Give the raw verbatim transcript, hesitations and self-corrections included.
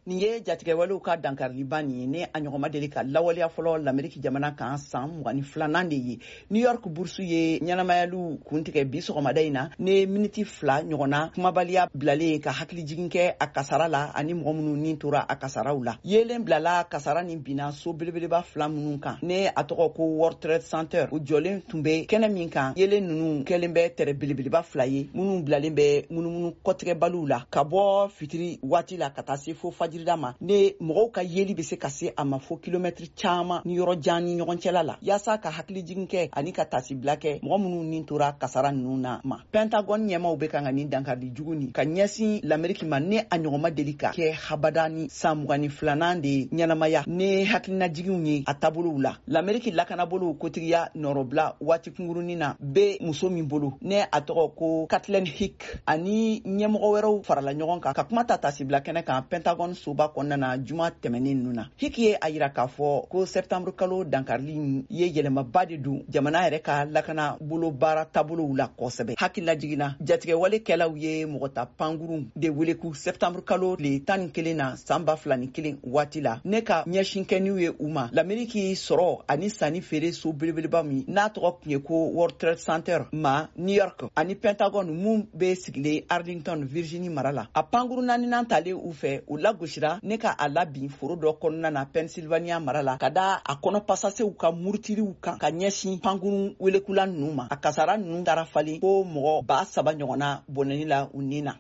Nin ye jatigɛwalew ka dankariliba nin ye, ne a ɲɔgɔn deli ka lawaleya fɔlɔ Lameriki jamana kan san mugan ni filanan de ye. New York burusu ye ɲɛnamayaliw kuntigɛ bi sɔgɔmada in na, ne miniti fila ɲɔgɔnna kumabaliya bilalen ka hakilijigin kɛ a kasara la ani mɔgɔ minnu ni tora a kasaraw la. Yeelen bilala kasara nin binna so belebeleba fila minnu kan, ne a tɔgɔ ko World Trade Center, u jɔlen tun bɛ kɛnɛ min kan. Yeelen ninnu kɛlen bɛ tɛrɛ belebeleba fila ye minnu bilalen bɛ munumunu kɔtigɛbaliw la ka bɔ fitiri waati la ka taa se fo fajirida ma, ne mɔgɔw ka yeli bɛ se ka se a ma fo kilomɛtiri caman ni yɔrɔ jan ni ɲɔgɔn cɛla la, yaasa ka hakilijigin kɛ ani ka tasibila kɛ mɔgɔ minnu ni tora kasara ninnu na ma. Pentagone ɲɛmaw bɛ kan ka nin dankarili jugu nin ka ɲɛsin Lameriki ma, ne a ɲɔgɔn ma deli ka kɛ habada ni san mugan ni filanan de ɲɛnamaya ne hakilinajiginw ye a taabolow la. Lameriki lakanabolow kotigiya nɔrɔbila waati kunkurunin na bɛ muso min bolo, ne a tɔgɔ ko Kathleen Hick, ani ɲɛmɔgɔ wɛrɛw farala ɲɔgɔn kan ka kuma ta tasibila kɛnɛ kan Pentagone soba kɔnɔna na juma tɛmɛnen ninnu na. Hick ye a yira k'a fɔ ko septembre kalo dankarili ye yɛlɛmaba de don jamana yɛrɛ ka lakana bolo baara taabolow la kosɛbɛ. Hakililajiginna, jatigɛwale kɛlaw ye mɔgɔ ta pankurun de wele ku septembre kalo tile tan ni kelen na san ba fila ni kelen waati la, ne ka ɲɛsin kɛniw ye u ma Lameriki sɔrɔ ani sanni feere so belebeleba min n'a tɔgɔ tun ye ko World Trade Center ma New York, ani Pentagone mun bɛ sigilen Arlington, Virginie mara la. A pankuru naaninan talen u fɛ, u lagosira ne ka a labin foro dɔ kɔnɔna na Pennsylvania mara la, ka da a kɔnɔ pasasew ka murutiliw kan ka ɲɛsin pankuru welekula ninnu ma. A kasara ninnu taara falen ko mɔgɔ ba saba ɲɔgɔnna bɔnɛni la u ni na.